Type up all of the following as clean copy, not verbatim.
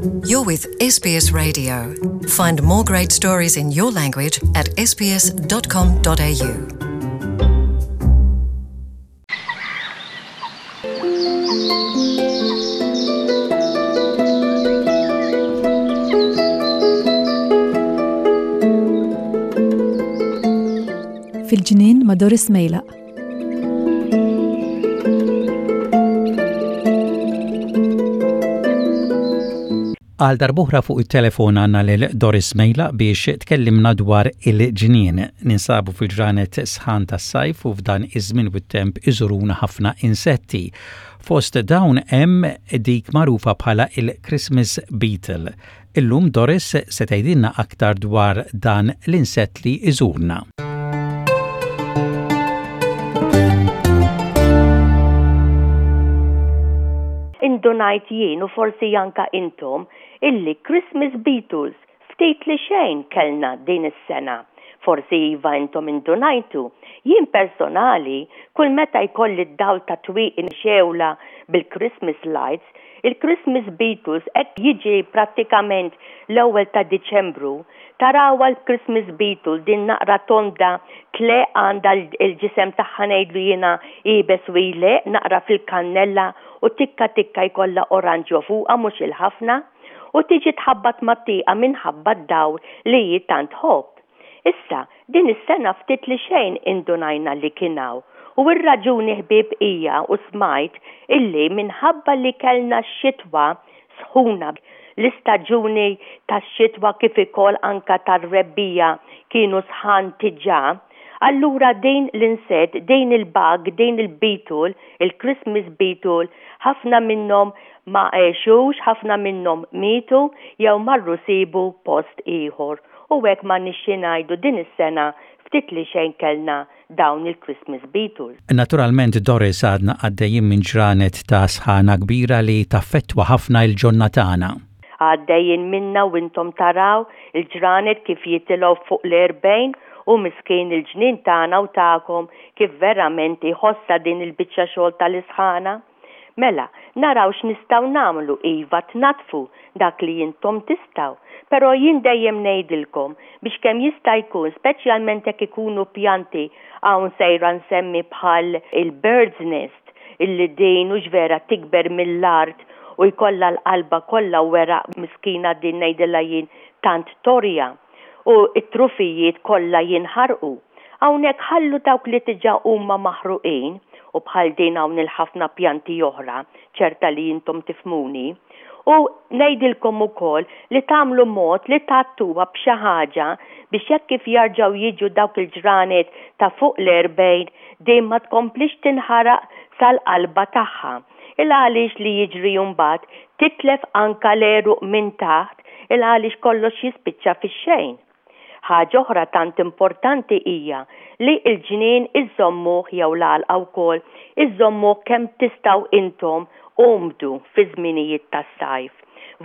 You're with SBS Radio. Find more great stories in your language at sbs.com.au. Fil-ġnien ma' Doris Mejlaq. Għal darbohra fuq it-telefon għandna lil Doris Mejla biex tkellimna dwar il-ġnien. Ninsabu fil-ġranet sħan tas-sajf u f'dan iż-żmien u t-temp iżuruna ħafna insetti. Fost dawn hemm dik magħrufa bħala il-Christmas beetle. Illum Doris se tgħidilna aktar dwar dan l-insett li jżurna. Indunajt jien u forsi anka intom illi Christmas Beatles ftit li xejn kellna din is-sena. Forsi iva intom indunajtu. Jien personali kull meta jkolli d-dawl ta' twieqi mxewla bil-Christmas lights, Il-Christmas Beatles hekk jiġi prattikament l-ewwel ta' Diċembru, tarawha l-Christmas Beetle din naqra tonda tleqq għandha l-ġisem tagħha ngħidlu jiena iebes u jleqq naqra fil-kannella u tikka tikka jkollha oranġjo fuqha mhux il-ħafna u tiġi tħabbat mat-tieqa minħabba d-dawl li hi tant tħobb. Issa, din is-sena ftit li xejn indunajna li kien hawn u r-raġuni ħbieb hija u smajt illi minħabba li kellna x-xitwa sħuna, l-istaġuni tax-xitwa kif ikoll anka tar-rebbiegħa kienu sħan diġà, allura din l-insett, din il-bug, din il-beetle, il-Christmas beetle, ħafna minnhom ma għexux, ħafna minnhom mietu jew marru sibu post ieħor. U hekk m'għandniex xi ngħidu din is-sena ftit li xejn kellna dawn il-Christmas Beatles. Naturalment Doris għadna għaddejjin minn ġranet ta' sħana kbira li taffettwa ħafna il-ġonna tagħna. Għaddejjin minnha u intom taraw il-ġranet kif jitilgħu fuq l-erbgħin u miskin il-ġnien tagħna u tagħkom kif verament iħossha din il-biċċa xogħol tal-isħana. Mela, naraw x'nistgħu nagħmlu, iva tnaddfu dak li intom tistgħu. Però jien dejjem ngħidilkom biex kemm jista' jkun, speċjalment jekk ikunu pjanti, hawn sejra nsemmi bħal il-bird's nest, illi din hux vera tikber mill-art u jkollha l-qalba kollha weraq miskina din ngħidilha jien tant torja. U t-trufijiet kollha jinħarqu. Hawnhekk ħallu dawk li diġà huma maħruqin, u bħal din hawn il-ħafna pjanti oħra, ċerta li intom tifhmuni. U ngħidilkom ukoll li tagħmlu mod li tgħattuha b'xi ħaġa biex hekk kif jarġgħu jiġu dawk il-ġranet ta' fuq l-erbgħin din ma tkomplix tinħaraq sal-qalba tagħha. Il għaliex li jiġri mbagħad titlef anka l-għeruq minn taħt il għaliex kollox jispiċċa fix-xejn. Ħaġa oħra tant importanti hija li l-ġnien iżżommuh jew l-għalqa wkoll iżżommuh kemm tistgħu intom umdu fiż-żminijiet tas-sajf.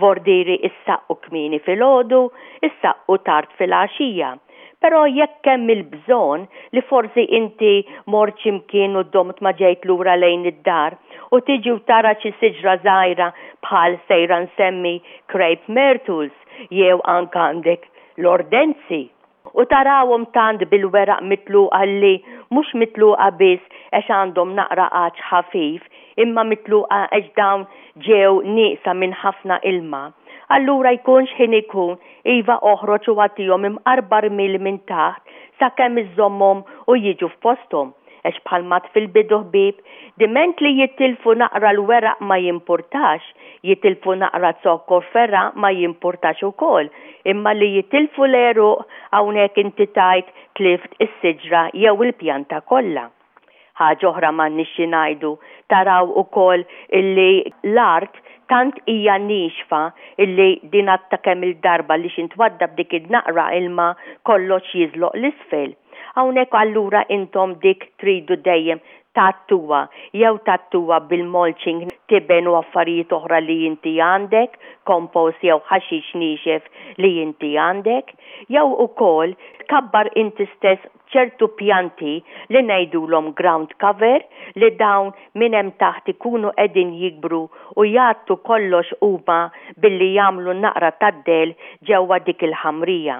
Vordieri issaqqu kmieni filgħodu, issaqqu tard filgħaxija. Però jekk hemm il-bżonn li forsi inti mort xi mkien u domt ma ġejt lura lejn id-dar u tiġi u tara xi siġra żgħira bħal sejra nsemmi crepe myrtles jew anke għandek l-ordenzi u tarawhom tant bil-weraq mitluqa li mhux mitluqa biss għax għandhom naqra għatx ħafif imma mitluqa għax dawn ġew nieqsa minn ħafna ilma. Allura jkun x'ħin ikun Iva oħroġ u agħtihom imqarba rmiel minn taħt sakemm iżżommhom u jiġu f'posthom. Għax bħal m'għedt fil-bidu ħbieb, diment li jitilfu naqra l-weraq ma jimpurtax, jitilfu naqra zokkor fergħa ma jimpurtax ukoll, imma li jitilfu l-għeruq hawnhekk inti tgħid tlift is-siġra jew il-pjanta kollha. Ħaġa oħra m'għandniex xi ngħidu, taraw ukoll illi l-art tant hija niexfa illi din għadtha kemm-il darba li xi ntwaddab dik id-naqra ilma kollox jiżloq 'l isfel. Hawnhekk allura intom dik tridu dejjem. Tgħattuha, jew tgħattuha bil-mulching, tiben u affarijiet oħra li inti għandek, compost jew ħaxix niexef li inti għandek, jew ukoll tkabbar inti stess ċertu pjanti li ngħidulhom ground cover li dawn minn hemm taħt ikunu qegħdin jikbru u jgħattu kollox huma billi jagħmlu naqra tad-dell ġewwa dik il-ħamrija.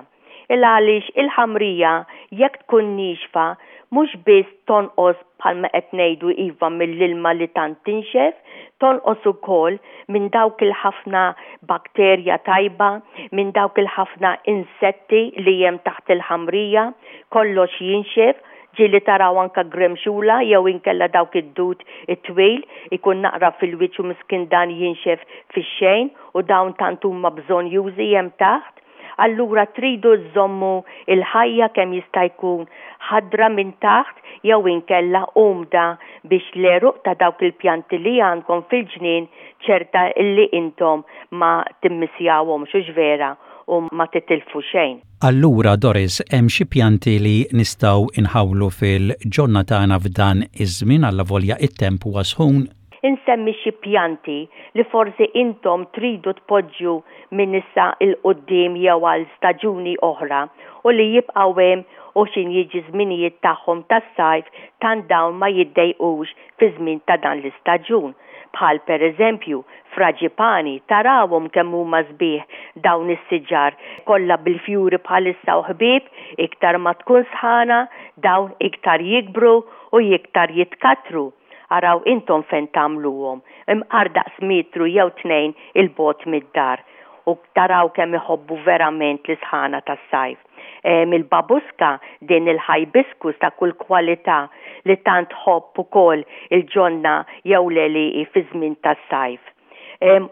Il-għaliex il-ħamrija jekk tkun niexfa mhux biss tonqos bħalma qed ngħidu iva mill-ilma li tant tinxef, tonqos ukoll minn dawk il-ħafna bakterja tajba, minn dawk il-ħafna insetti li hemm taħt il-ħamrija, kollox jinxef, ġieli taraw anka gremxula jew inkella dawk id-dud it-twil ikun naqra fil-wiċċ u miskin dan jinxef fix-xejn u dawn tant huma bżonnjużi hemm taħt. Allura tridu żżommu l-ħajja kemm jista' jkun ħadra minn taħt jew inkella umda biex l-għeruq ta' dawk il-pjanti li għandkom fil-ġnien ċerta li intom ma timmissjawhomx, hux vera, u ma titilfu xejn. Allura Doris, hemm xi pjanti li nistgħu nħawlu fil-ġonna tagħna f'dan iż-żmien allavolja t-temp huwa sħun? Insemmi xi pjanti li forsi intom tridu tpoġġu minn issa 'l quddiem jew għal staġuni oħra u li jibqgħu hemm u x'in jiġi żminijiet tagħhom tas-sajf tant dawn ma jiddejqux fiż-żmien ta' dan l-istaġun. Bħal per eżempju, fraġipani, tarawhom kemm huma sbieħ dawn is-siġar kollha bil-fjuri bħalissa u ħbieb, iktar ma tkun sħana dawn iktar jikbru u iktar jitkattru. Araw intom fejn tagħmluhom, imqar daqs metru jew tnejn 'il bogħod mid-dar, u taraw kemm iħobbu verament l-isħana tas-sajf. Il-babuska, din il-hibiscus ta' kull kwalità li tant tħobb ukoll il-ġonna jew l-għelieqi fiż-żmien tas-sajf.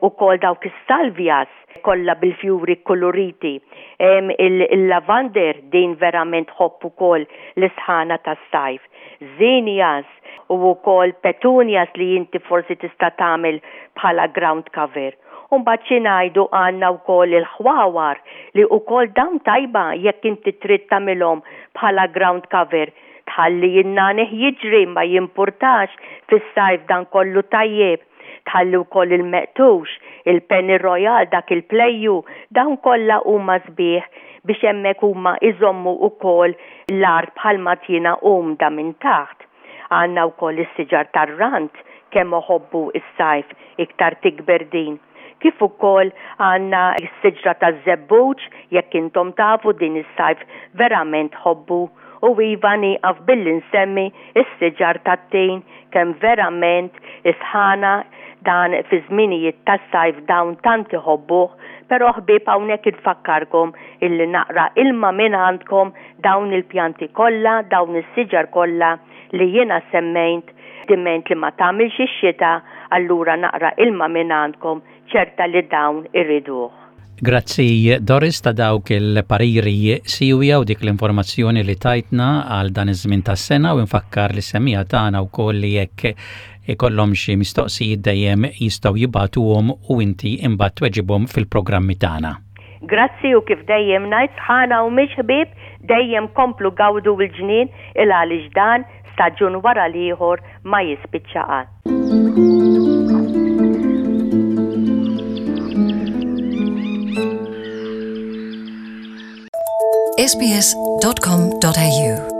Ukoll dawk is-salvias kollha bil-fjuri kkuluriti. Il-lavander din verament tħobb ukoll l-isħana tas-sajf. Zinnias u wkoll petunias li inti forsi tista' tagħmel bħala ground cover. U mbagħad xi ngħidu għandna wkoll il-ħwawar li wkoll dawn tajba jekk inti trid tagħmilhom bħala ground cover. Tħalli n-nagħniħ jiġri ma jimpurtax fis-sajf dan kollu tajjeb. Tħalli wkoll il-meqtux, il-penny royal dak il-plejju, dawn kollha huma sbieħ biex hemmhekk huma jżommu wkoll l-art bħalma tjiena umda minn taħt. Għandna wkoll is-siġar tar-rand, kemm iħobbu s-sajf iktar tikber din. Kif ukoll għandna s-siġra taż-żebbuġ, jekk intom tafu din is-sajf verament tħobbu. U iva nieqaf billi nsemmi s-siġar tat-tin kemm verament is-sħana dan fi żminijiet tas-sajf dawn tant iħobbuh, però ħbieb hawnhekk infakkarkom illi naqra ilma minn għandkom dawn il-pjanti kollha, dawn is-siġar kollha li jiena semmejnt diment li ma tagħmilx ix-xita allura naqra ilma minn għandkom ċerta li dawn iriduh. Grazzi Doris ta' dawk il-pariri siwja u dik l-informazzjoni li tajtna għal dan iż-żmien tas-sena u nfakkar li semija tagħna wkoll li jekk ikollhom xi mistoqsijiet dejjem jistgħu jibagħtuhom u inti imbagħad tweġibhom fil-programmi tagħna. Grazzi u kif dejjem ngħid sħana u mhix ħbieb dejjem komplu gawdu l-ġnien il għaliex dan staġun wara l-ieħor ma jispiċċa qatt. sbs.com.au.